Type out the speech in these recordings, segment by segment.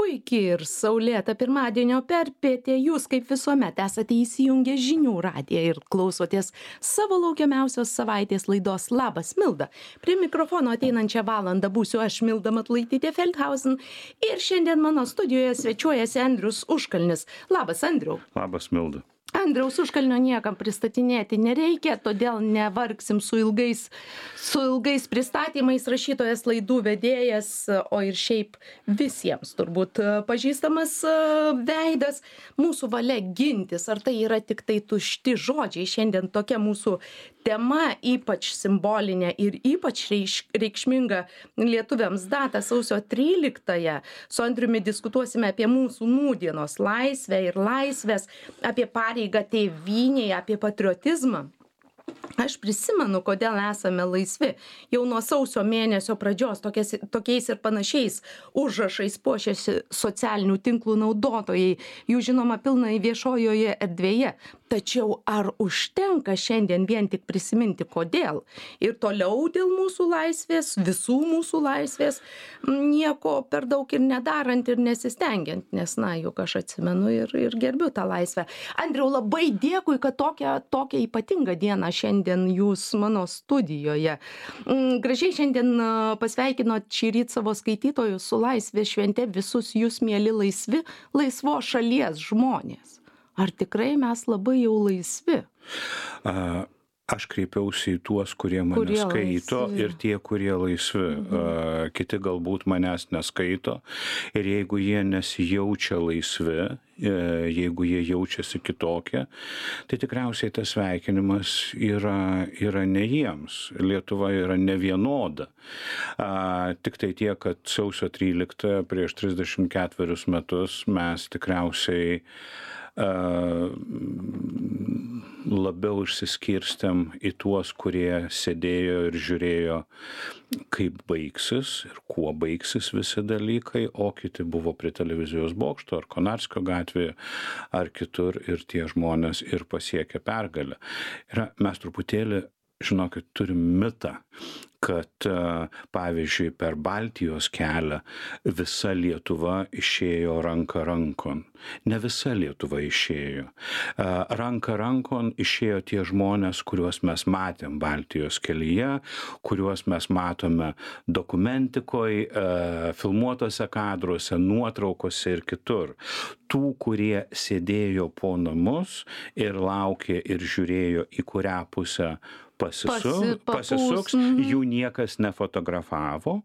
puiki ir saulėta pirmadienio perpietė. Jūs, kaip visuomet, esate įsijungę žinių radiją ir klausotės savo laukiamiausios savaitės laidos Labas Milda. Prie mikrofono ateinančią valandą būsiu aš, Milda Matulaitytė Feldhausen, ir šiandien mano studijoje svečiuojasi Andrius Užkalnis. Labas, Andriau. Labas, Milda. Andriaus Užkalnio niekam pristatinėti nereikia, todėl nevargsim su ilgais pristatymais. Rašytojas, laidų vedėjas, o ir šiaip visiems turbūt pažįstamas veidas. Mūsų valia gintis, ar tai yra tik tai tušti žodžiai? Šiandien tokia mūsų tema, ypač simbolinė ir ypač reikšminga lietuviams data, sausio 13-ąją. Su Andriumi diskutuosime apie mūsų nūdienos laisvę ir laisvės, apie pareigą tėvynėje, apie patriotizmą. Aš prisimenu, kodėl esame laisvi. Jau nuo sausio mėnesio pradžios tokiais ir panašiais užrašais puošiasi socialinių tinklų naudotojai. Jų žinoma pilnai viešojoje erdvėje. Tačiau ar užtenka šiandien vien tik prisiminti kodėl? Ir toliau dėl mūsų laisvės, visų mūsų laisvės, nieko per daug ir nedarant ir nesistengiant, nes, juk aš atsimenu ir gerbiu tą laisvę. Andriau, labai dėkui, kad tokią ypatingą dieną šiandien jūs mano studijoje. Gražiai šiandien pasveikinot šįryt savo skaitytojus su laisvės švente, visus jūs, mieli laisvos šalies žmonės. Ar tikrai mes labai jau laisvi? Aš kreipiausi į tuos, kurie mane skaito laisvi. Ir tie, kurie laisvi. Kiti galbūt manęs neskaito. Ir jeigu jie nesijaučia laisvi, jeigu jie jaučiasi kitokie, tai tikriausiai tas sveikinimas yra ne jiems. Lietuva yra nevienoda. Tik tai tiek, kad sausio 13 prieš 34 metus mes tikriausiai labiau išsiskirstėm į tuos, kurie sėdėjo ir žiūrėjo, kaip baigsis ir kuo baigsis visi dalykai, o kiti buvo prie televizijos bokšto ar Konarskio gatvėje ar kitur, ir tie žmonės ir pasiekė pergalę. Ir mes truputėlį, žinokit, turim mitą, kad, pavyzdžiui, per Baltijos kelią visa Lietuva išėjo ranka rankon. Ne visa Lietuva išėjo. Ranka rankon išėjo tie žmonės, kuriuos mes matėm Baltijos kelyje, kuriuos mes matome dokumentikoje, filmuotose kadruose, nuotraukose ir kitur. Tų, kurie sėdėjo po namus ir laukė ir žiūrėjo, į kurią pusę pasisuks, jų niekas nefotografavo,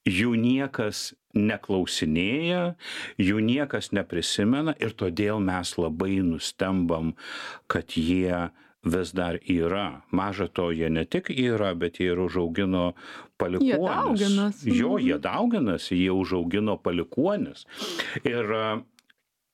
jų niekas neklausinėja, jų niekas neprisimena, ir todėl mes labai nustembam, kad jie vis dar yra. Maža to, jie ne tik yra, bet jie ir užaugino palikuonis. Jie dauginasi, jie užaugino palikuonis. Ir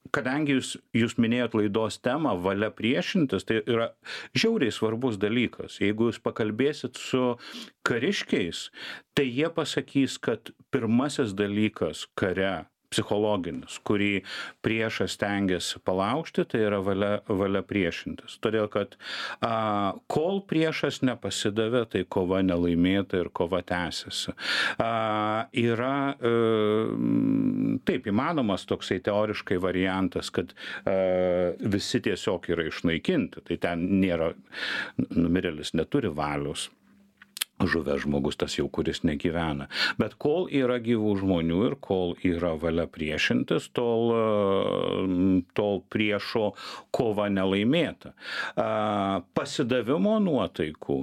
kadangi jūs minėjot laidos temą valia priešintis, tai yra žiauriai svarbus dalykas. Jeigu jūs pakalbėsit su kariškiais, tai jie pasakys, kad pirmasis dalykas kare, psichologinis, kurį priešas stengiasi palaužti, tai yra valia priešintis. Todėl, kad kol priešas nepasidavė, tai kova nelaimėta ir kova tęsiasi. Yra taip įmanomas toksai teoriškai variantas, kad visi tiesiog yra išnaikinti. Tai ten nėra, numirėlis neturi valios. Žuvęs žmogus, tas jau, kuris negyvena. Bet kol yra gyvų žmonių ir kol yra valia priešintis, tol priešo kova nelaimėta. Pasidavimo nuotaikų,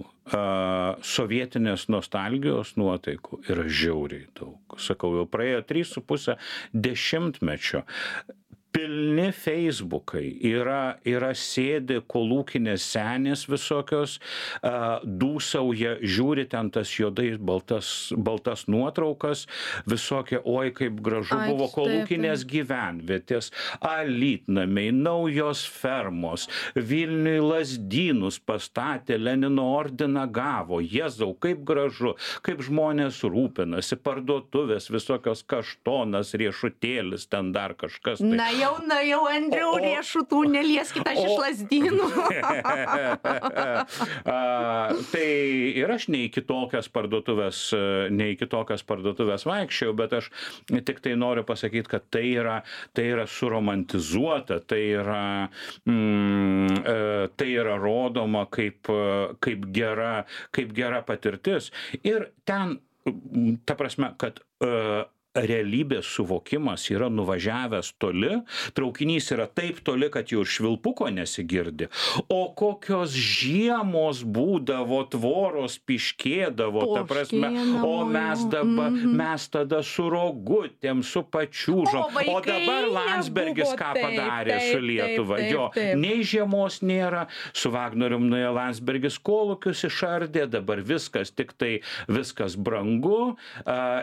sovietinės nostalgijos nuotaikų yra žiauriai daug. Sakau, jau praėjo 3,5 dešimtmečio. Pilni Facebookai, yra sėdi kolūkinės senės visokios, dūsauja, žiūri ten tas juodais baltas nuotraukas, visokie, oi kaip gražu buvo kolūkinės gyvenvietės, alytnamiai, naujos fermos, Vilniui Lazdynus pastatė, Lenino ordiną gavo, Jėzau, kaip gražu, kaip žmonės rūpinasi, parduotuvės, visokios kaštonas, riešutėlis, ten dar kažkas. Tai. jau, Andriau, riešutų nelieskit, aš iš Lazdynų. Tai ir aš ne į kitokias parduotuvės vaikščiau, bet aš tik tai noriu pasakyti, kad tai yra suromantizuota, tai yra rodoma kaip gera patirtis. Ir ten, ta prasme, kad realybės suvokimas yra nuvažiavęs toli, traukinys yra taip toli, kad jau švilpuko nesigirdi, o kokios žiemos būdavo, tvoros piškėdavo, ta prasme, o mes tada su rogutėm, su pačiūžom, o dabar Landsbergis ką padarė su Lietuva, jo, nei žiemos nėra, su Vagnorium nuėjo Landsbergis kolūkius išardė, dabar viskas, tik tai viskas brangu,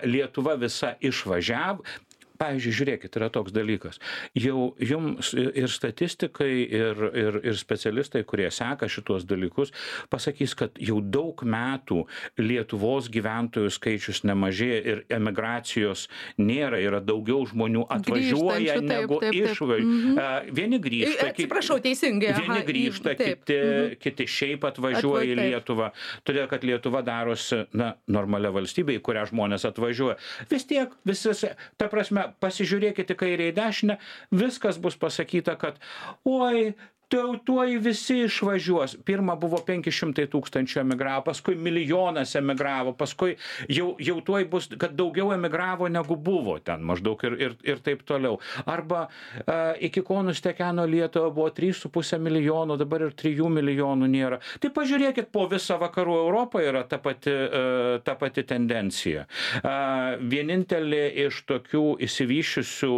Lietuva visa išvažiavo. Pavyzdžiui, žiūrėkit, yra toks dalykas. Jau jums ir statistikai, ir specialistai, kurie seka šitos dalykus, pasakys, kad jau daug metų Lietuvos gyventojų skaičius nemažėja ir emigracijos nėra, yra daugiau žmonių atvažiuoja negu išvažiuoja. Vieni grįžta, atsiprašau, teisingai. Vieni grįžta, kiti šiaip atvažiuoja į Lietuvą, todėl kad Lietuva darosi, normalia valstybė, į kurią žmonės atvažiuoja. Vis tiek, ta prasme, pasižiūrėkite kairę į dešinę, viskas bus pasakyta, kad oi, tuoj visi išvažiuos. Pirma buvo 500 000 emigravo, paskui 1 milijonas emigravo, paskui jau tuoj bus, kad daugiau emigravo negu buvo ten maždaug ir taip toliau. Arba iki ko nustekeno Lietuva buvo 3,5 milijono, dabar ir 3 milijonų nėra. Tai pažiūrėkit, po visą vakarų Europą yra ta pati tendencija. Vienintelė iš tokių išsivysčiusių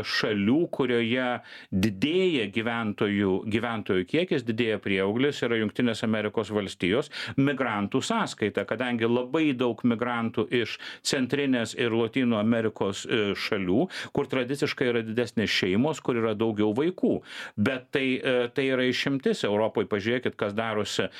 šalių, kurioje didėja gyventojų kiekis, didėja prieauglis, yra Jungtinės Amerikos valstijos migrantų sąskaita, kadangi labai daug migrantų iš Centrinės ir Lotynų Amerikos šalių, kur tradiciškai yra didesnės šeimos, kur yra daugiau vaikų. Bet tai yra išimtis. Europoje pažiūrėkit, kas darosi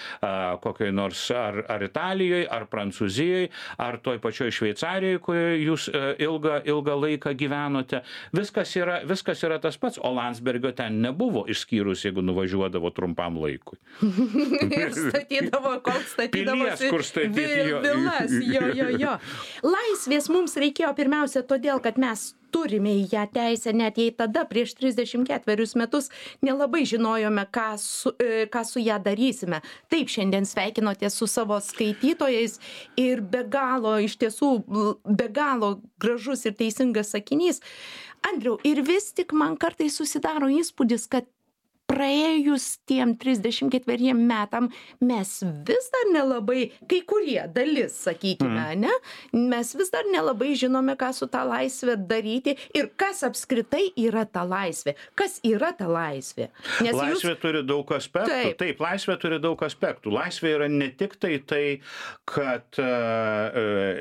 kokioj nors ar Italijoje, ar Prancūzijoje, ar toj pačioj Šveicarijoje, kurioje jūs ilgą laiką gyvenote. Viskas yra tas pats, o Landsbergio ten nebuvo, išskyrus jeigu nuvažiuodavo trumpam laikui. Ir statydavo, kol statydavosi vilas. Jo. Laisvės mums reikėjo pirmiausia todėl, kad mes turime į ją teisę, net jei tada prieš 34 metus nelabai žinojome, ką su ją darysime. Taip, šiandien sveikinotės su savo skaitytojais ir be galo gražus ir teisingas sakinys. Andriau, ir vis tik man kartais susidaro įspūdis, kad praėjus tiem 34 metam mes vis dar nelabai, kai kurie dalis, sakykime, ne? Mes vis dar nelabai žinome, ką su tą laisvę daryti ir kas apskritai yra ta laisvė. Kas yra ta laisvė? Nes laisvė turi daug aspektų. Taip, laisvė turi daug aspektų. Laisvė yra ne tik tai, kad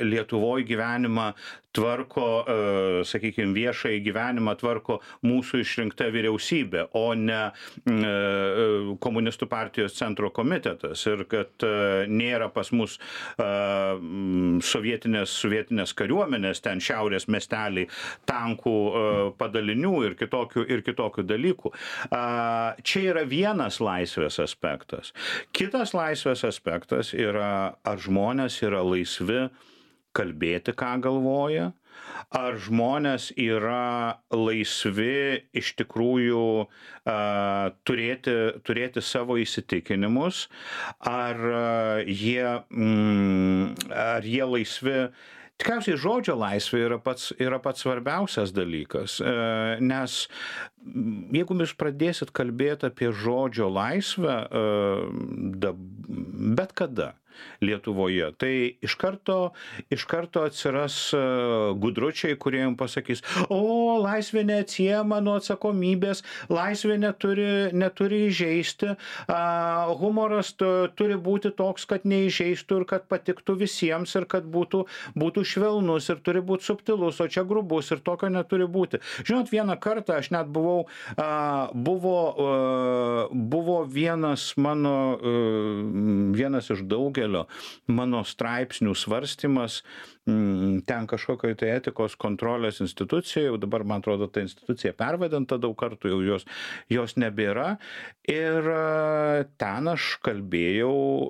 Lietuvoje gyvenimą tvarko, sakykime, viešąjį gyvenimą tvarko mūsų išrinkta vyriausybė, o ne komunistų partijos centro komitetas ir kad nėra pas mus sovietinės kariuomenės, ten šiaurės miesteliai, tankų padalinių ir kitokių dalykų. Čia yra vienas laisvės aspektas. Kitas laisvės aspektas yra, ar žmonės yra laisvi kalbėti, ką galvoja, ar žmonės yra laisvi iš tikrųjų turėti savo įsitikinimus, ar jie laisvi. Tikriausiai žodžio laisvė yra pats svarbiausias dalykas, nes jeigu jūs pradėsit kalbėti apie žodžio laisvę bet kada Lietuvoje, tai iš karto atsiras gudručiai, kurie jums pasakys, laisvė neatsiejama nuo atsakomybės, laisvė neturi įžeisti, humoras turi būti toks, kad neįžeistų ir kad patiktų visiems ir kad būtų švelnus ir turi būti subtilus, o čia grubus ir tokio neturi būti. Žinot, vieną kartą aš net buvau buvau, buvo vienas iš daugelio mano straipsnių svarstymas, ten kažkokio tai etikos kontrolės institucija, jau dabar, man atrodo, ta institucija pervadinta daug kartų, jau jos nebėra. Ir ten aš kalbėjau,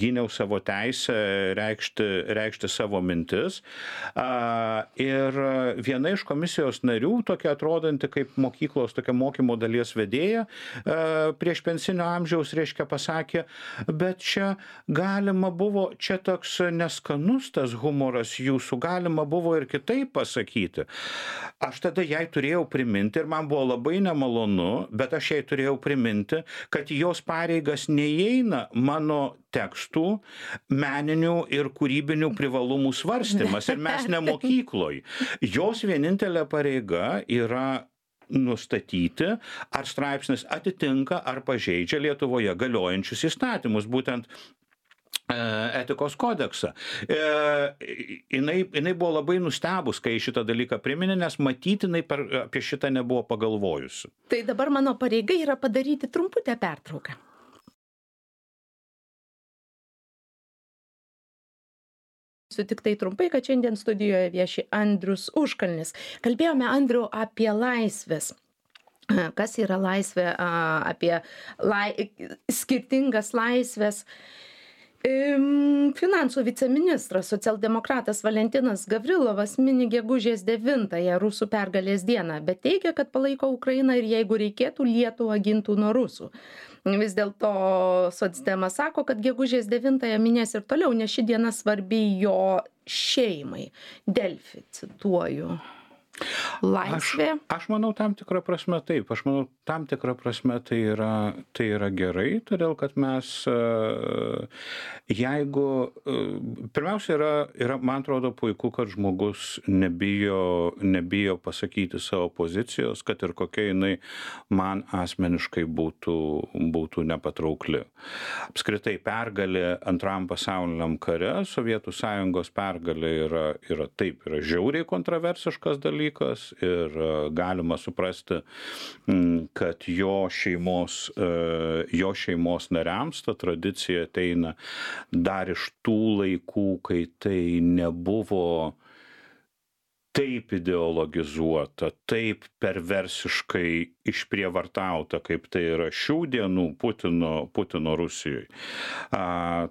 gyniau savo teisę reikšti savo mintis. Ir viena iš komisijos narių, tokia atrodanti kaip mokyklos, tokia mokymo dalies vedėja, prieš pensinio amžiaus, reiškia, pasakė, bet čia galima buvo, čia toks neskanus tas humoras jūsų, galima buvo ir kitaip pasakyti. Aš tada jai turėjau priminti, ir man buvo labai nemalonu, bet aš jai turėjau priminti, kad jos pareigas neįeina mano tekstų, meninių ir kūrybinių privalumų svarstymas, ir mes ne mokykloj. Jos vienintelė pareiga yra nustatyti, ar straipsnis atitinka ar pažeidžia Lietuvoje galiojančius įstatymus, būtent etikos kodeksą. Jinai buvo labai nustebus, kai šitą dalyką priminė, nes matytinai apie šitą nebuvo pagalvojusi. Tai dabar mano pareiga yra padaryti trumputę pertrauką. Tik tai trumpai, kad šiandien studijoje vieši Andrius Užkalnis. Kalbėjome, Andriu, apie laisvės. Kas yra laisvė, apie skirtingas laisvės. Finansų viceministras, socialdemokratas Valentinas Gavrilovas mini gegužės 9-ąją rusų pergalės dieną, bet teigia, kad palaiko Ukrainą ir jeigu reikėtų, Lietuvą gintų nuo rusų. Vis dėlto socdemas sako, kad gegužės 9-ąją minės ir toliau, nes ši diena svarbi jo šeimai. Delfi, cituoju. Laisvė? Aš manau, tam tikrą prasme taip. Aš manau, tam tikrą prasme tai yra gerai, todėl kad mes, jeigu, pirmiausia, yra, man atrodo, puiku, kad žmogus nebijo pasakyti savo pozicijos, kad ir kokia jinai man asmeniškai būtų nepatraukli. Apskritai, pergalė Antram pasauliniam kare, Sovietų Sąjungos pergalė yra žiauriai kontroversiškas dalykas, ir galima suprasti, kad jo šeimos nariams ta tradicija ateina dar iš tų laikų, kai tai nebuvo taip ideologizuota, taip perversiškai išprievartauta, kaip tai yra šių dienų Putino Rusijoje.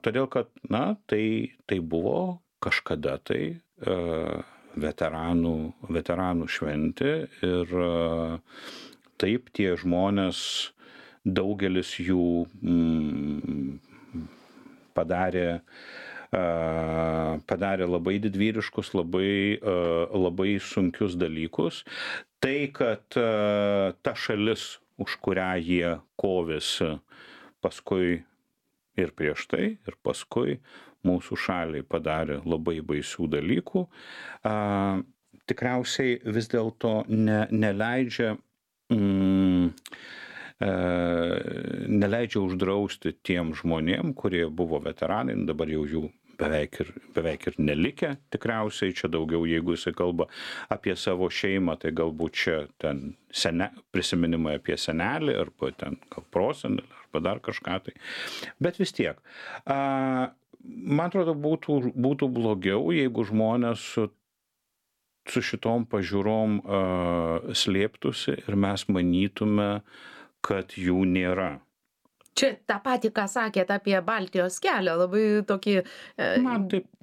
Todėl, kad, tai buvo kažkada tai veteranų šventė, ir taip tie žmonės, daugelis jų padarė labai didvyriškus, labai sunkius dalykus. Tai, kad ta šalis, už kurią jie kovėsi paskui ir prieš tai, ir paskui mūsų šaliai padarė labai baisių dalykų, tikriausiai vis dėlto neleidžia uždrausti tiem žmonėm, kurie buvo veteranai, dabar jau jų beveik ir nelikę, tikriausiai čia daugiau, jeigu jisai kalba apie savo šeimą, tai galbūt čia ten prisiminimai apie senelį, arba ten gal prosenelį, arba dar kažką tai. Bet vis tiek, man atrodo, būtų blogiau, jeigu žmonės su šitom pažiūrom slėptųsi ir mes manytume, kad jų nėra. Čia tą patį, ką sakėt apie Baltijos kelią, labai tokį...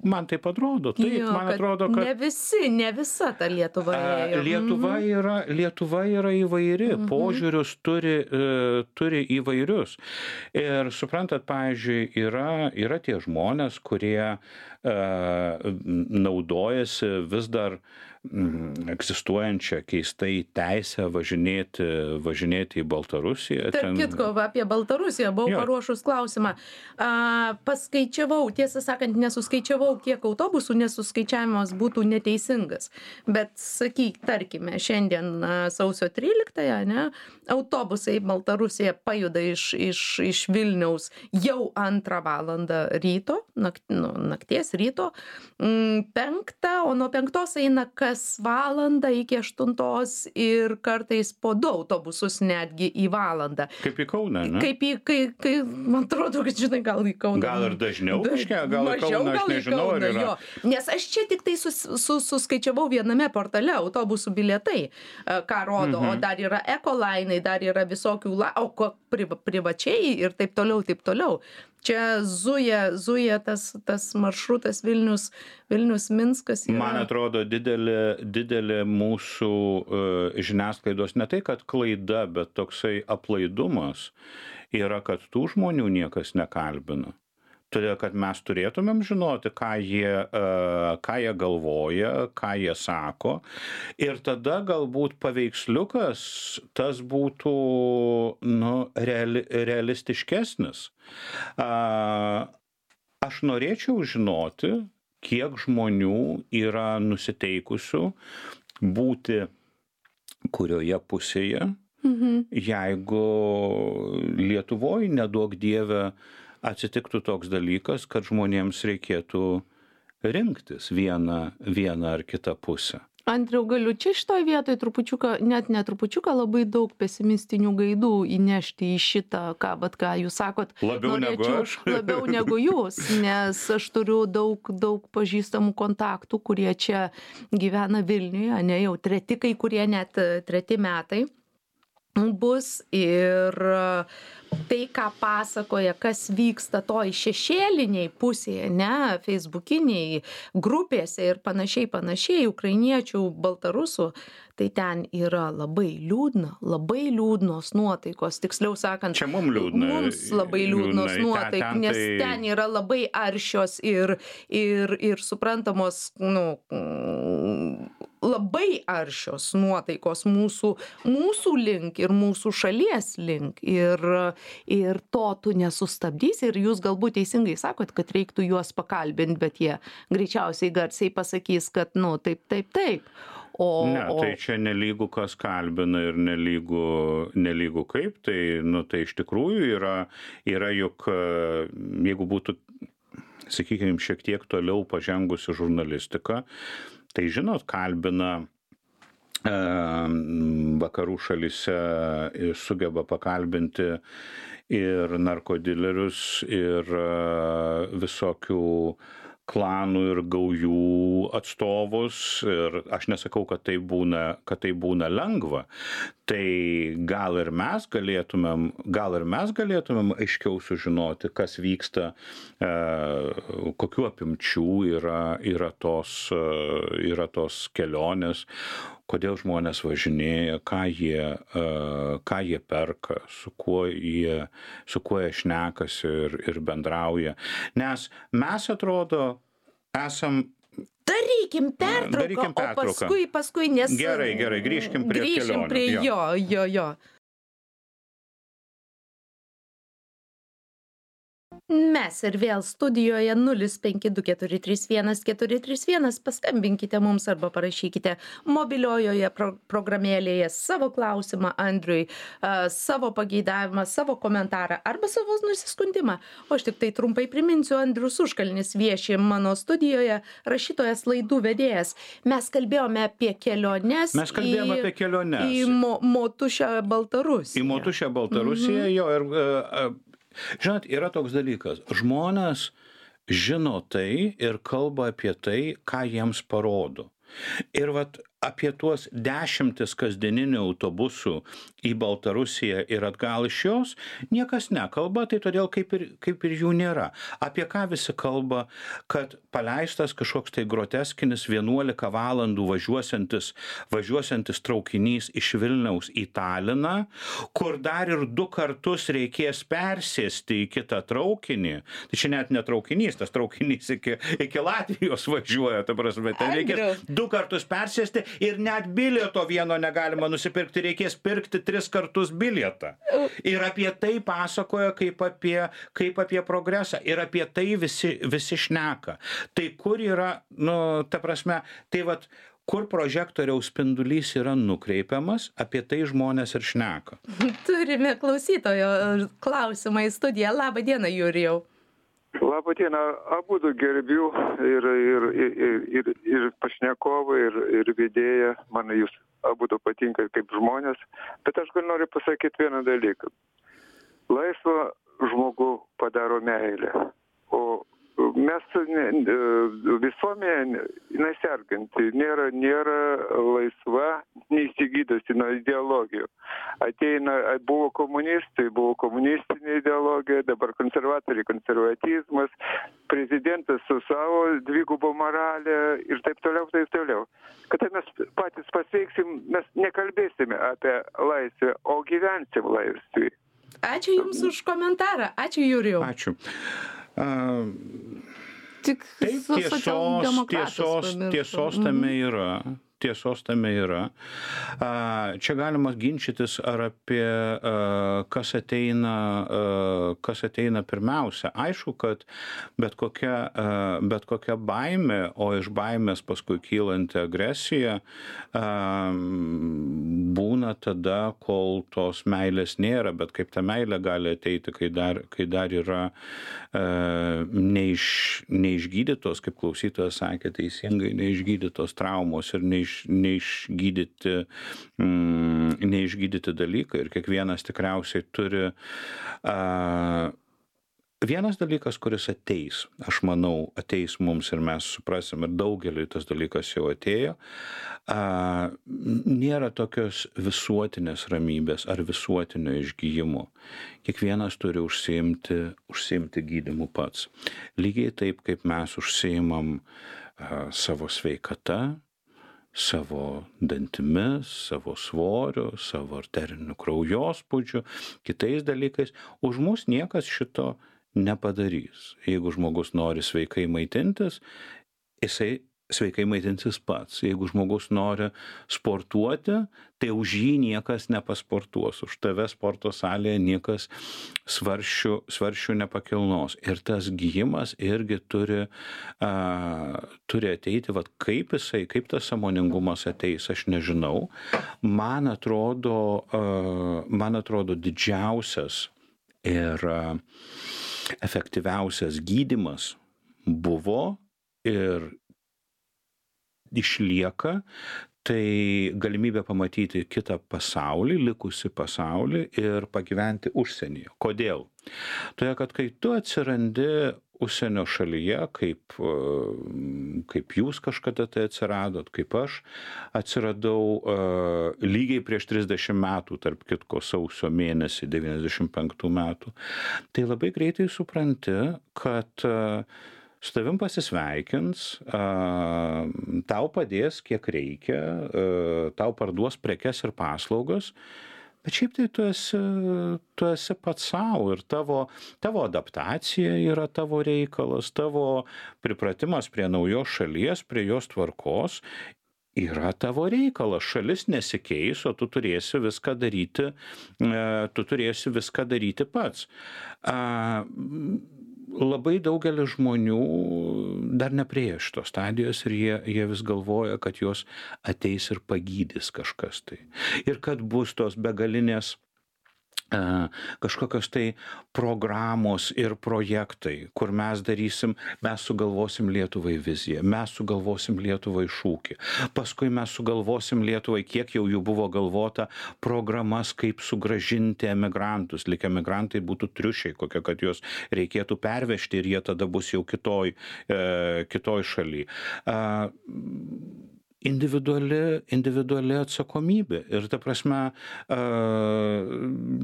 Man taip atrodo. Taip, man atrodo, kad... Ne visa ta Lietuva ėjo. Lietuva yra įvairi, požiūrius turi įvairius. Ir suprantat, pavyzdžiui, yra tie žmonės, kurie naudojasi vis dar egzistuojančią keistai teisę važinėti į Baltarusiją. Tarp kitko, apie Baltarusiją buvau paruošus klausimą. Paskaičiavau, tiesą sakant, nesuskaičiavau, kiek autobusų, nesuskaičiavimas būtų neteisingas. Bet sakyk, tarkime, šiandien sausio 13-ąją, ne, autobusai Baltarusiją pajuda iš Vilniaus jau 2 valandą ryto, nakties ryto, 5, o nuo 5 eina kas kas valandą iki 8 ir kartais po 2 autobusus netgi į valandą. Kaip į Kauną, ne? Kai man atrodo, kad žinai, gal į Kauną. Gal ir dažniau kažkiek, gal į Mažiau, Kauną, aš gal į nežinau, ar Kauną, yra. jo. Nes aš čia tik tai suskaičiavau viename portale autobusų bilietai, ką rodo, o dar yra ekolainai, dar yra visokių, privačiai ir taip toliau, taip toliau. Čia zuja tas maršrutas Vilnius-Minskas. Man atrodo, didelė mūsų žiniasklaidos ne tai, kad klaida, bet toksai aplaidumas yra, kad tų žmonių niekas nekalbina. Todėl, kad mes turėtumėm žinoti, ką jie galvoja, ką jie sako. Ir tada galbūt paveiksliukas tas būtų realistiškesnis. Aš norėčiau žinoti, kiek žmonių yra nusiteikusių būti kurioje pusėje, jeigu Lietuvoje, neduok Dieve, atsitiktų toks dalykas, kad žmonėms reikėtų rinktis vieną ar kitą pusę. Andriau, galiu čia šitoj vietoj trupučiuką, net netrupučiuką, labai daug pesimistinių gaidų įnešti į šitą, ką jūs sakot. Labiau negu aš. Labiau negu jūs, nes aš turiu daug pažįstamų kontaktų, kurie čia gyvena Vilniuje, ne jau kai kurie net 3 metai bus, ir tai, ką pasakoja, kas vyksta toj šešėliniai pusėje, ne, feisbukiniai grupėse ir panašiai, ukrainiečių, baltarusų, tai ten yra labai liūdnos nuotaikos, tiksliau sakant, čia mums labai liūdnos nuotaikos, nes ten yra labai aršios ir suprantamos, labai aršios nuotaikos mūsų link ir mūsų šalies link, ir to tu nesustabdysi, ir jūs galbūt teisingai sakot, kad reiktų juos pakalbinti, bet jie greičiausiai garsiai pasakys, kad taip. Tai čia nelygu kas kalbina ir nelygu kaip, tai iš tikrųjų yra juk, jeigu būtų, sakykime, šiek tiek toliau pažengusi žurnalistika, tai žinot, kalbina vakarų šalyse, sugeba pakalbinti ir narkodilerius, ir visokių klanų ir gaujų atstovus, ir aš nesakau, kad tai būna lengva. Tai gal ir mes galėtumėm aiškiau sužinoti, kas vyksta, kokių apimčių yra tos kelionės, kodėl žmonės važinėja, ką jie perka, su kuo jie šnekasi ir bendrauja. Nes mes, atrodo, esam... Darykim pertrauką, o paskui, nes... Gerai, grįžkim prie kelionės. Jo. Mes ir vėl studijoje 052431 paskambinkite mums arba parašykite mobiliojoje programėlėje savo klausimą Andriui, savo pageidavimą, savo komentarą arba savo nusiskundimą. O aš tik tai trumpai priminsiu, Andrius Užkalnis vieši mano studijoje, rašytojas, laidų vedėjas. Mes kalbėjome apie keliones į Motušę Baltarusiją. Jo, ir... Žinot, yra toks dalykas. Žmonės žino tai ir kalba apie tai, ką jiems parodo. Ir apie tuos 10 kasdieninių autobusų į Baltarusiją ir atgal iš jos niekas nekalba, tai todėl kaip ir jų nėra. Apie ką visi kalba, kad paleistas kažkoks tai groteskinis 11 valandų važiuosiantis traukinys iš Vilniaus į Taliną, kur dar ir 2 kartus reikės persėsti į kitą traukinį. Tai čia net ne traukinys, tas traukinys iki Latvijos važiuoja, ta prasme, ten reikės 2 kartus persėsti. Ir net bilieto vieno negalima nusipirkti, reikės pirkti 3 kartus bilietą. Ir apie tai pasakoja kaip apie progresą. Ir apie tai visi šneka. Tai kur yra, ta prasme, kur prožektoriaus spindulys yra nukreipiamas, apie tai žmonės ir šneka. Turime klausytojo klausimą į studiją. Labą dieną, Jurijau. Labą dieną, abudu gerbiu ir pašnekovai, ir vedėja, man jūs abudu patinka kaip žmonės, bet aš noriu pasakyti vieną dalyką. Laisvą žmogų padaro meilė, o mes visuomenė, jinai serganti, nėra laisva, neįsigydusi nuo ideologijų. Buvo komunistai, buvo komunistinė ideologija, dabar konservatoriai, konservatizmas, prezidentas su savo dvigubo moralė ir taip toliau, taip toliau. Kada mes patys pasveiksim, mes nekalbėsime apie laisvę, o gyvensim laisvį. Ačiū Jums už komentarą. Ačiū, Jurijau. Ačiū. Tik Taip, tiesos tame yra. Tiesos tame yra. Čia galima ginčytis, ar apie kas ateina pirmiausia. Aišku, kad bet kokia baimė, o iš baimės paskui kylanti agresija, būna tada, kol tos meilės nėra, bet kaip ta meilė gali ateiti, kai dar yra neišgydytos, kaip klausytojas sakė teisingai, neišgydytos traumos ir neišgydyti dalykai, ir kiekvienas tikriausiai turi vienas dalykas, kuris ateis, aš manau, ateis mums ir mes suprasim, ir daugeliui tas dalykas jau atėjo, nėra tokios visuotinės ramybės ar visuotinio išgyjimo. Kiekvienas turi užsiimti gydymu pats. Lygiai taip, kaip mes užsiimam savo sveikata, savo dantimis, savo svoriu, savo arteriniu kraujospūdžiu, kitais dalykais. Už mus niekas šito nepadarys. Jeigu žmogus nori sveikai maitintis, jisai sveikai maitinsis pats. Jeigu žmogus nori sportuoti, tai už jį niekas nepasportuos. Už tave sporto salėje niekas svarsčių nepakilnos. Ir tas gijimas irgi turi ateiti, kaip tas sąmoningumas ateis, aš nežinau. Man atrodo didžiausias ir efektyviausias gydymas buvo ir išlieka, tai galimybė pamatyti kitą pasaulį, likusį pasaulį ir pagyventi užsienyje. Kodėl? Todėl, kad kai tu atsirandi užsienio šalyje, kaip jūs kažkada tai atsiradot, kaip aš atsiradau lygiai prieš 30 metų, tarp kitko sausio mėnesį 95 metų, tai labai greitai supranti, kad su tavim pasisveikins, tau padės kiek reikia, tau parduos prekes ir paslaugas, bet šiaip tai tu esi pats savo ir tavo adaptacija yra tavo reikalas, tavo pripratimas prie naujos šalies, prie jos tvarkos yra tavo reikalas. Šalis nesikeis, o tu turėsi viską daryti pats. Labai daugelis žmonių dar nepriėjo šitos stadijos ir jie vis galvoja, kad jos ateis ir pagydys kažkas tai. Ir kad bus tos begalinės kažkokios tai programos ir projektai, kur mes sugalvosim Lietuvai viziją, mes sugalvosim Lietuvai šūkį, paskui mes sugalvosim Lietuvai, kiek jau jų buvo galvota, programas, kaip sugrąžinti emigrantus, lyg emigrantai būtų triušiai, kokie, kad juos reikėtų pervežti ir jie tada bus jau kitoj šaly. Individuali atsakomybė. Ir ta prasme,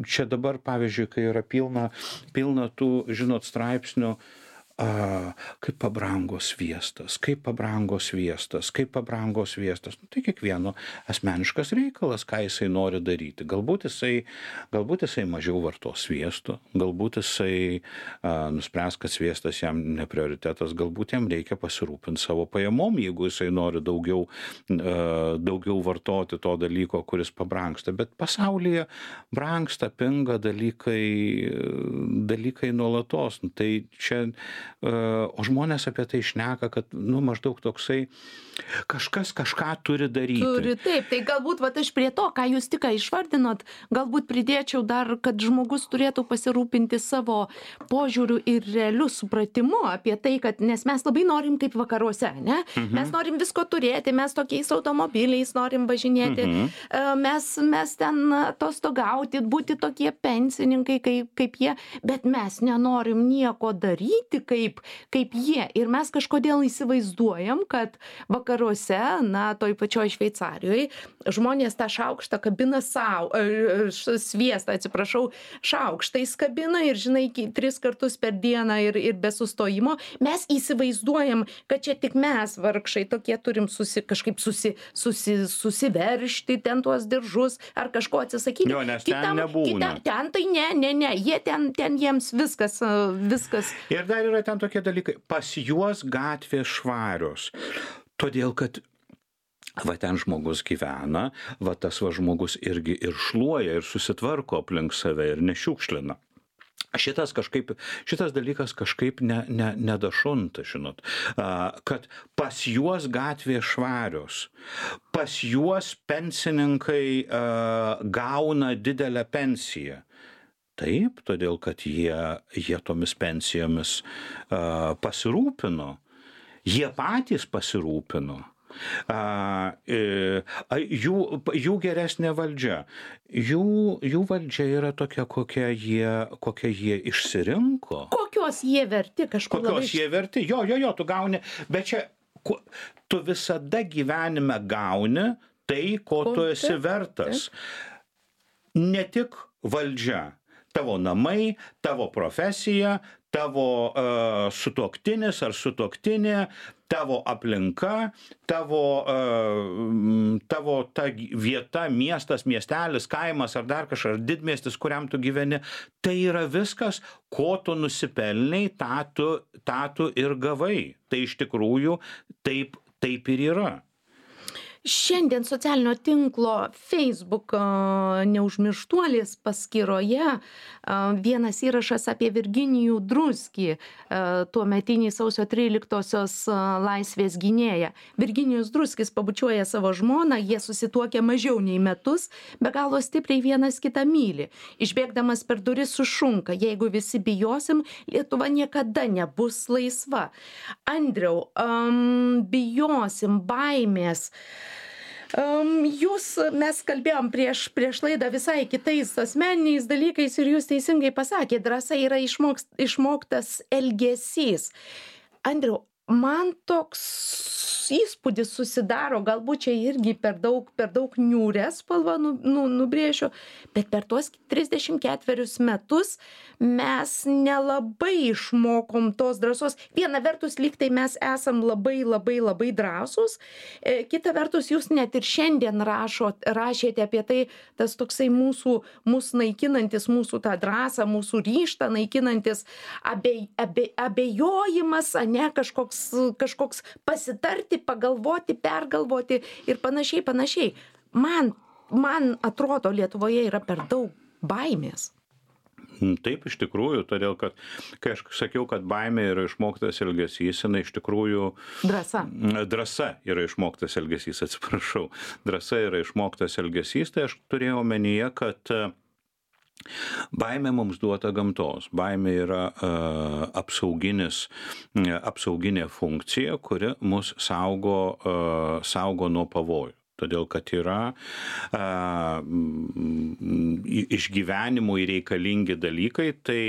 čia dabar, pavyzdžiui, kai yra pilna tų, straipsnių, kaip pabrango sviestas. Tai kiekvieno asmeniškas reikalas, ką jisai nori daryti. Galbūt jisai mažiau vartos sviesto, galbūt jisai nuspręs, kad sviestas jam ne prioritetas, galbūt jam reikia pasirūpinti savo pajamom, jeigu jisai nori daugiau vartoti to dalyko, kuris pabrangsta. Bet pasaulyje brangsta, pinga dalykai nuolatos. Tai čia o žmonės apie tai šneka, kad, maždaug toksai, kažkas kažką turi daryti. Taip, tai galbūt aš prie to, ką jūs tik išvardinot, galbūt pridėčiau dar, kad žmogus turėtų pasirūpinti savo požiūriu ir realiu supratimu apie tai, kad, nes mes labai norim kaip vakaruose, ne? Mes norim visko turėti, mes tokiais automobiliais norim važinėti, mes ten atostogauti, būti tokie pensininkai kaip jie, bet mes nenorim nieko daryti kaip jie. Ir mes kažkodėl įsivaizduojam, kad vakaruose, toj pačioj Šveicarijoje, žmonės tą šaukštą kabina sviestą, šaukštais kabina ir, žinai, 3 kartus per dieną ir be sustojimo. Mes įsivaizduojam, kad čia tik mes, vargšai, tokie turim kažkaip susiveršti ten tuos diržus ar kažko atsisakyti. Jo, nes ten nebūna. Ten tai ne, jie ten jiems viskas. Ir dar yra ten tokie dalykai, pas juos gatvės švarios, todėl kad ten žmogus gyvena, tas žmogus irgi ir šluoja, ir susitvarko aplink save, ir nešiukšlina. Šitas dalykas kažkaip nedašunta, žinot, kad pas juos gatvės švarios, pas juos pensininkai gauna didelę pensiją. Taip, todėl kad jie tomis pensijomis pasirūpino, jie patys pasirūpino. Jų geresnė valdžia. Jų valdžia yra tokia, kokią jie išsirinko. Kokios jie verti kažkur labai. Kokios jie verti, jo, tu gauni, bet čia tu visada gyvenime gauni tai, ko tu esi vertas. Ne tik valdžia, tavo namai, tavo profesija, tavo sutuoktinis ar sutuoktinė, tavo aplinka, tavo ta vieta, miestas, miestelis, kaimas ar dar kažkas, ar didmiestis, kuriam tu gyveni, tai yra viskas, ko tu nusipelnei, tą tu ir gavai. Tai iš tikrųjų taip ir yra. Šiandien socialinio tinklo Facebook neužmirštuolis paskyroje vienas įrašas apie Virginijų Druskį, tuometinį sausio 13-osios laisvės gynėją. Virginijus Druskis pabučiuoja savo žmoną, jie susituokia mažiau nei metus, be galo stipriai vienas kitą myli. Išbėgdamas per duris sušunka, jeigu visi bijosim, Lietuva niekada nebus laisva. Andriau, bijosim, baimės. Mes kalbėjom prieš laidą visai kitais asmeniniais dalykais ir jūs teisingai pasakėte, drąsa yra išmoktas elgesys. Andriau, man toks įspūdis susidaro, galbūt čia irgi per daug niūrę spalvą nubrėšiu, bet per tuos 34 metus mes nelabai išmokom tos drąsos. Viena vertus, lyg tai mes esam labai drąsūs, kita vertus, jūs net ir šiandien rašėte apie tai, tas toksai mūsų naikinantis, mūsų tą drąsą, mūsų ryžtą naikinantis abejojimas, ane, kažkoks pasitarti, pagalvoti, pergalvoti ir panašiai. Man atrodo, Lietuvoje yra per daug baimės. Taip, iš tikrųjų, todėl, kad kai aš sakiau, kad baimė yra išmoktas elgesys, jinai iš tikrųjų... Drąsa yra išmoktas elgesys, atsiprašau. Drąsa yra išmoktas elgesys, tai aš turėjau omenyje, kad baimė mums duota gamtos. Baimė yra apsauginė funkcija, kuri mus saugo nuo pavojų. Todėl, kad yra išgyvenimui reikalingi dalykai, tai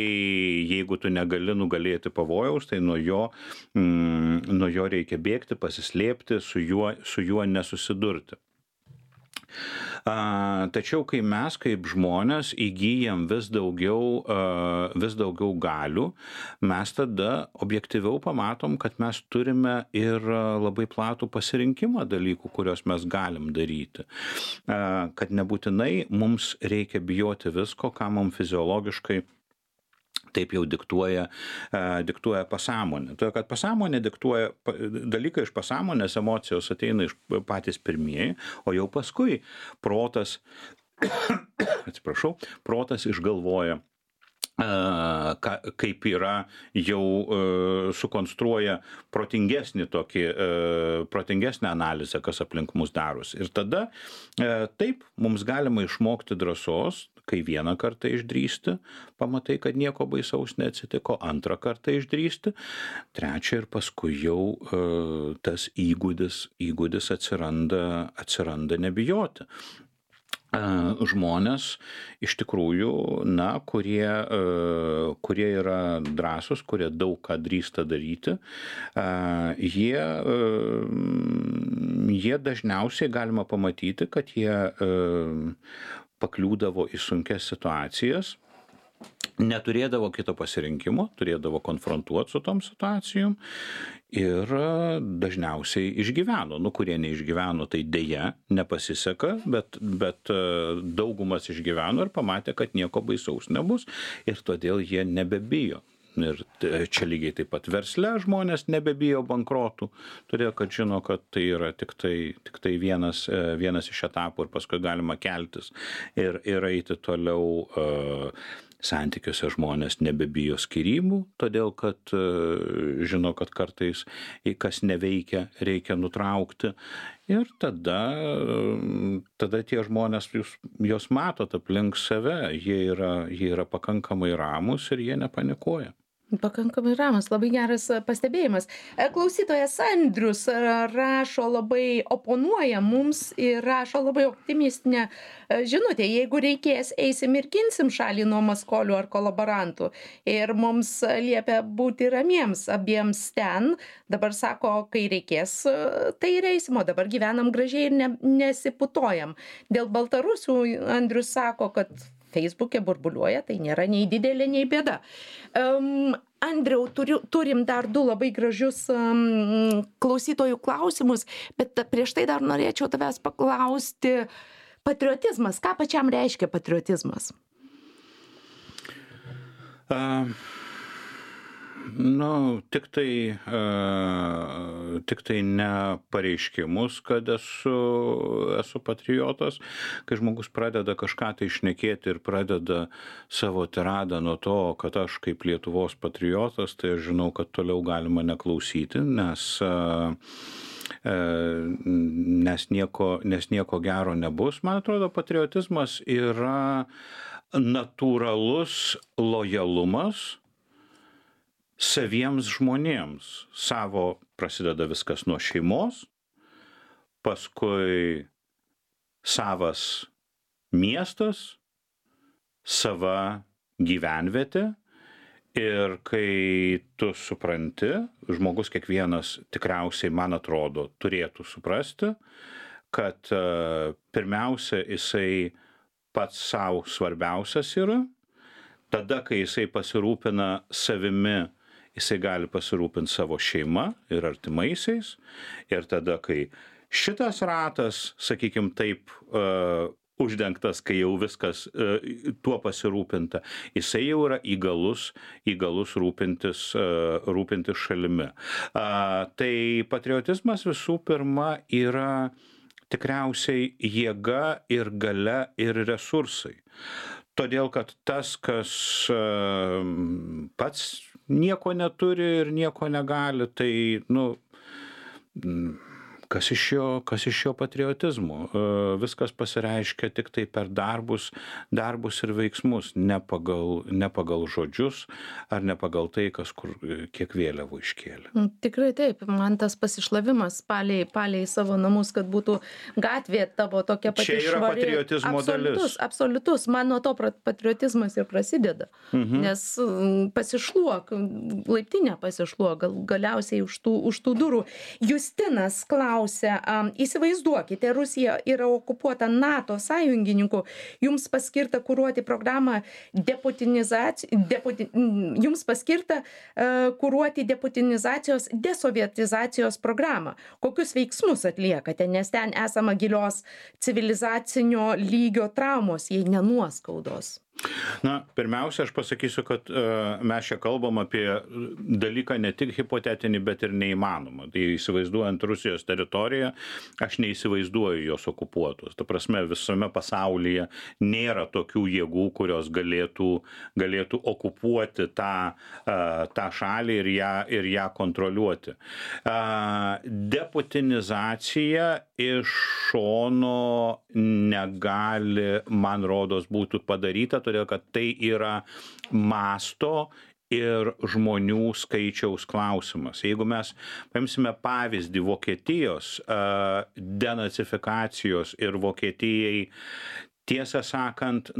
jeigu tu negali nugalėti pavojaus, tai nuo jo reikia bėgti, pasislėpti, su juo nesusidurti. Tačiau, kai mes kaip žmonės įgyjam vis daugiau galių, mes tada objektyviau pamatom, kad mes turime ir labai platų pasirinkimą dalykų, kuriuos mes galim daryti. Kad nebūtinai mums reikia bijoti visko, ką mums fiziologiškai taip jau diktuoja pasąmonė. Todėl, kad pasąmonė diktuoja dalykai iš pasąmonės, emocijos ateina iš patys pirmieji, o jau paskui protas išgalvoja kaip yra jau sukonstruoja protingesnę analizę, kas aplink mus darosi. Ir tada taip, mums galima išmokti drąsos, kai vieną kartą išdrįsti, pamatai, kad nieko baisaus neatsitiko, antrą kartą išdrįsti, trečią ir paskui jau tas įgūdis atsiranda nebijoti. Žmonės iš tikrųjų, kurie yra drąsūs, kurie daug ką drįsta daryti, jie dažniausiai galima pamatyti, kad jie pakliūdavo į sunkias situacijas, neturėdavo kito pasirinkimo, turėdavo konfrontuoti su tom situacijom ir dažniausiai išgyveno. Kurie neišgyveno, tai dėja nepasiseka, bet daugumas išgyveno ir pamatė, kad nieko baisaus nebus ir todėl jie nebebijo. Ir čia lygiai taip pat versle žmonės nebebijo bankrotų, todėl kad žino, kad tai yra tik tai vienas iš etapų ir paskui galima keltis ir eiti toliau. Santykiuose žmonės nebebijo skyrybų, todėl kad žino, kad kartais kas neveikia, reikia nutraukti. Ir tada tie žmonės, jūs matot aplink save, jie yra pakankamai ramūs ir jie nepanikuoja. Pakankamai ramus, labai geras pastebėjimas. Klausytojas Andrius rašo labai, oponuoja mums ir rašo labai optimistinę žinutę. Jeigu reikės, eisim ir ginsim šalį nuo maskolių ar kolaborantų. Ir mums liepia būti ramiems abiems ten. Dabar sako, kai reikės, tai ir eisim, o dabar gyvenam gražiai ir nesiputojam. Dėl Baltarusių Andrius sako, kad Facebook'e burbuliuoja, tai nėra nei didelė, nei bėda. Andriau, turim dar 2 labai gražius klausytojų klausimus, bet prieš tai dar norėčiau tavęs paklausti. Patriotizmas, ką pačiam reiškia patriotizmas? Tik tai ne pareiškimus, kad esu patriotas, kai žmogus pradeda kažką tai šnekėti ir pradeda savo tiradą nuo to, kad aš kaip Lietuvos patriotas, tai aš žinau, kad toliau galima neklausyti, nes nieko gero nebus. Man atrodo, patriotizmas yra natūralus lojalumas saviems žmonėms. Savo prasideda viskas nuo šeimos, paskui savas miestas, sava gyvenvietė ir kai tu supranti, žmogus kiekvienas tikriausiai, man atrodo, turėtų suprasti, kad pirmiausia jisai pats savo svarbiausias yra, tada kai jisai pasirūpina savimi, jisai gali pasirūpinti savo šeima ir artimaisiais. Ir tada, kai šitas ratas, sakykim taip, uždengtas, kai jau viskas tuo pasirūpinta, jisai jau yra įgalus rūpintis šalimi. Tai patriotizmas visų pirma yra tikriausiai jėga ir galia ir resursai. Todėl, kad tas, kas pats nieko neturi ir nieko negali, tai, kas iš jo patriotizmo? Viskas pasireiškia tik tai per darbus ir veiksmus, ne pagal žodžius ar ne pagal tai, kas kur kiek vėliavų iškėlė. Tikrai taip, man tas pasišlavimas palei savo namus, kad būtų gatvė tavo tokia pati švari. Čia yra patriotizmo dalis. Absoliutus, man nuo to patriotizmas ir prasideda, nes pasišluok, laiptinę pasišluok, galiausiai už tų durų. Justinas klausia, įsivaizduokite, Rusija yra okupuota NATO sąjungininkų, jums paskirta kuruoti programą jums paskirta kuruoti deputinizacijos, desovietizacijos programą. Kokius veiksmus atliekate, nes ten esama gilios civilizacinio lygio traumos, jei ne nuoskaudos? Na, pirmiausia, aš pasakysiu, kad mes čia kalbam apie dalyką ne tik hipotetinį, bet ir neįmanomą. Tai įsivaizduojant Rusijos teritoriją, aš neįsivaizduoju jos okupuotos. Ta prasme, visame pasaulyje nėra tokių jėgų, kurios galėtų okupuoti tą šalį ir ją kontroliuoti. Deputinizacija iš šono negali, man rodos, būtų padaryta, todėl kad tai yra masto ir žmonių skaičiaus klausimas. Jeigu mes paimsime pavyzdį Vokietijos denacifikacijos ir Vokietijai, tiesą sakant,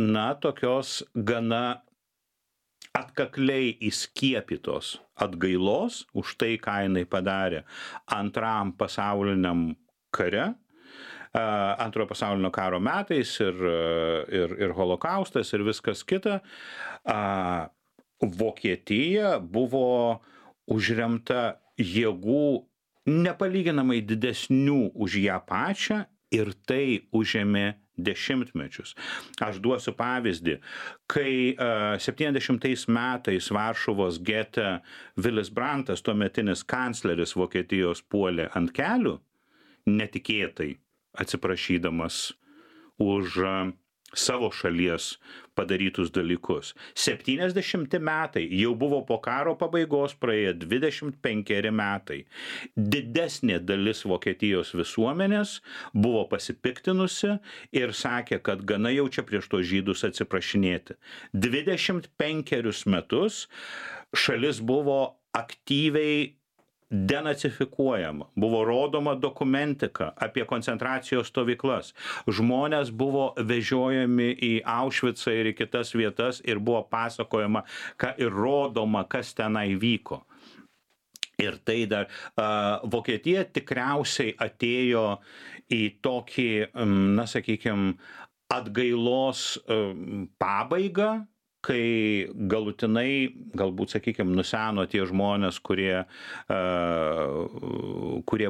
tokios gana atkakliai įskiepytos atgailos už tai, ką jinai padarė Antram pasauliniam kare, Antrojo pasaulinio karo metais ir holokaustas ir viskas kita, Vokietija buvo užremta jėgų nepalyginamai didesnių už ją pačią ir tai užėmė dešimtmečius. Aš duosiu pavyzdį. Kai 70 metais Varšuvos gete Vilis Brandtas, tuometinis kancleris Vokietijos, puolė ant kelių, netikėtai atsiprašydamas už savo šalies padarytus dalykus. 70 metai, jau buvo po karo pabaigos, praėjo 25 metai. Didesnė dalis Vokietijos visuomenės buvo pasipiktinusi ir sakė, kad gana jau čia prieš tos žydus atsiprašinėti. 25 metus šalis buvo aktyviai denacifikuojama, buvo rodoma dokumentika apie koncentracijos stovyklas. Žmonės buvo vežiojami į Aušvicą ir į kitas vietas ir buvo pasakojama ir rodoma, kas tenai vyko. Ir tai dar Vokietija tikriausiai atėjo į tokį, sakykime, atgailos pabaigą, kai galutinai, galbūt, sakykime, nuseno tie žmonės, kurie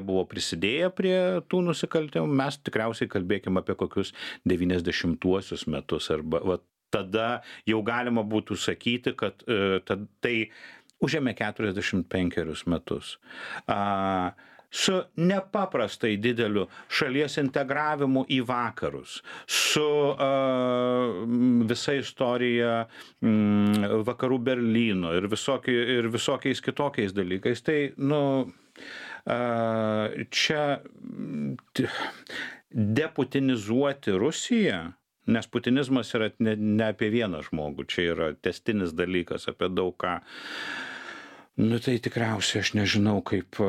buvo prisidėję prie tų nusikaltimų. Mes tikriausiai kalbėkime apie kokius 90-uosius metus. Arba tada jau galima būtų sakyti, kad tai užėmė 45 metus. Su nepaprastai dideliu šalies integravimu į vakarus, su visa istorija vakarų Berlyno ir visokiais kitokiais dalykais. Tai, čia deputinizuoti Rusiją, nes putinizmas yra ne apie vieną žmogų, čia yra tęstinis dalykas apie daug ką. Tai tikriausiai aš nežinau, kaip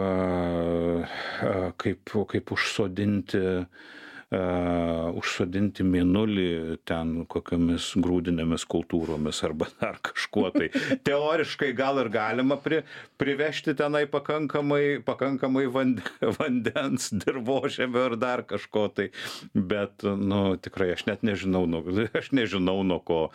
užsodinti mėnulį ten kokiamis grūdinėmis kultūromis arba dar kažkuo. Tai teoriškai gal ir galima privežti tenai pakankamai vandens, dirvožemio ir dar kažko. Tai, bet tikrai aš net nežinau, nuo ko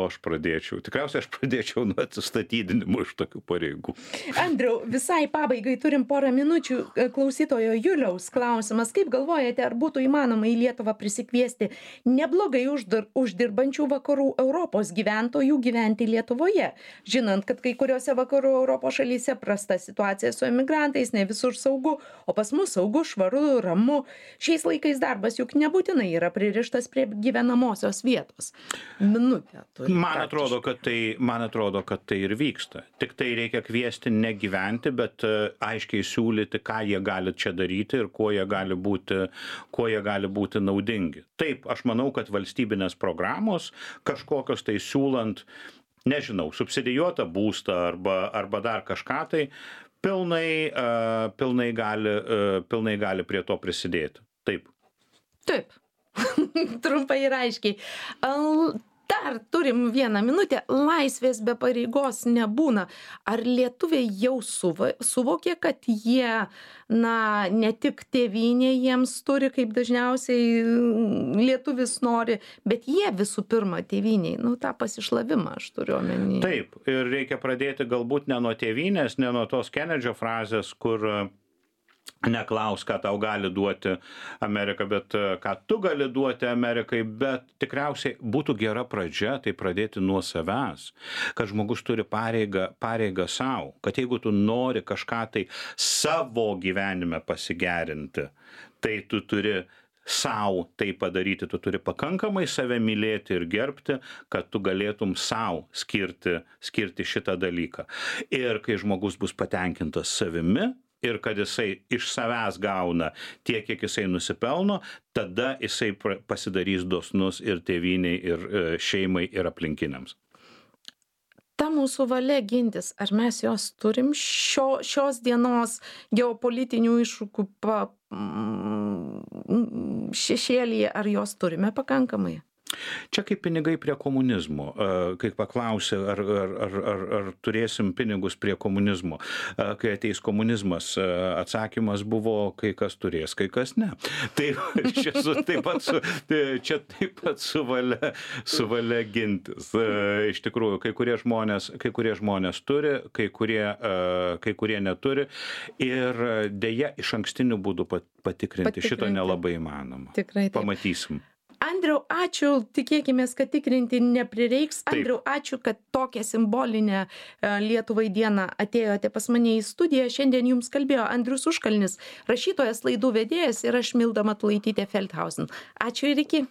aš pradėčiau. Tikriausiai aš pradėčiau nuo atsistatydinimo iš tokių pareigų. Andriau, visai pabaigai turim porą minučių. Klausytojo Juliaus klausimas. Kaip galvojate, ar būtų įmanoma į Lietuvą prisikviesti neblogai uždirbančių vakarų Europos gyventojų gyventi Lietuvoje, žinant, kad kai kuriuose vakarų Europos šalyse prasta situacija su emigrantais, ne visur saugu, o pas mus saugu, švaru, ramu. Šiais laikais darbas juk nebūtinai yra pririštas prie gyvenamosios vietos. Minutę turi. Man atrodo, kad tai ir vyksta. Tik tai reikia kviesti negyventi, bet aiškiai siūlyti, ką jie gali čia daryti ir kuo jie gali būti naudingi. Taip, aš manau, kad valstybinės programos kažkokios tai siūlant, nežinau, subsidijuotą būstą arba dar kažką tai pilnai gali prie to prisidėti. Taip. Taip. Trumpai ir aiškiai. Dar turim 1 minutę. Laisvės be pareigos nebūna. Ar lietuviai jau suvokė, kad jie, ne tik tėvynė jiems turi, kaip dažniausiai lietuvis nori, bet jie visų pirma tėvyniai, tą pasišlavimą aš turiu omeny. Taip, ir reikia pradėti galbūt ne nuo tėvynės, ne nuo tos Kenedžio frazės, kur neklaus, ką tau gali duoti Amerika, bet ką tu gali duoti Amerikai, bet tikriausiai būtų gera pradžia tai pradėti nuo savęs, kad žmogus turi pareigą savo, kad jeigu tu nori kažką tai savo gyvenime pasigerinti, tai tu turi sau tai padaryti, tu turi pakankamai save mylėti ir gerbti, kad tu galėtum sau skirti šitą dalyką. Ir kai žmogus bus patenkintas savimi, ir kad jisai iš savęs gauna tiek, kiek jisai nusipelno, tada jisai pasidarys dosnus ir tėvyniai, ir šeimai, ir aplinkiniams. Ta mūsų valia gintis, ar mes jos turim šios dienos geopolitinių iššūkių šešėlyje, ar jos turime pakankamai? Čia kaip pinigai prie komunizmo. Kai paklausė, ar turėsim pinigus prie komunizmo. Kai ateis komunizmas, atsakymas buvo, kai kas turės, kai kas ne. Tai čia taip pat su valia gintis. Iš tikrųjų, kai kurie žmonės turi, kai kurie neturi. Ir dėja iš ankstinių būdų patikrinti šito nelabai įmanoma. Tikrai taip. Pamatysim. Andriau, ačiū, tikėkimės, kad tikrinti neprireiks. Andriau, ačiū, kad tokią simbolinę Lietuvai dieną atėjote pas mane į studiją. Šiandien jums kalbėjo Andrius Užkalnis, rašytojas, laidų vedėjas, ir aš Milda Matulaitytė Feldhausen. Ačiū ir iki.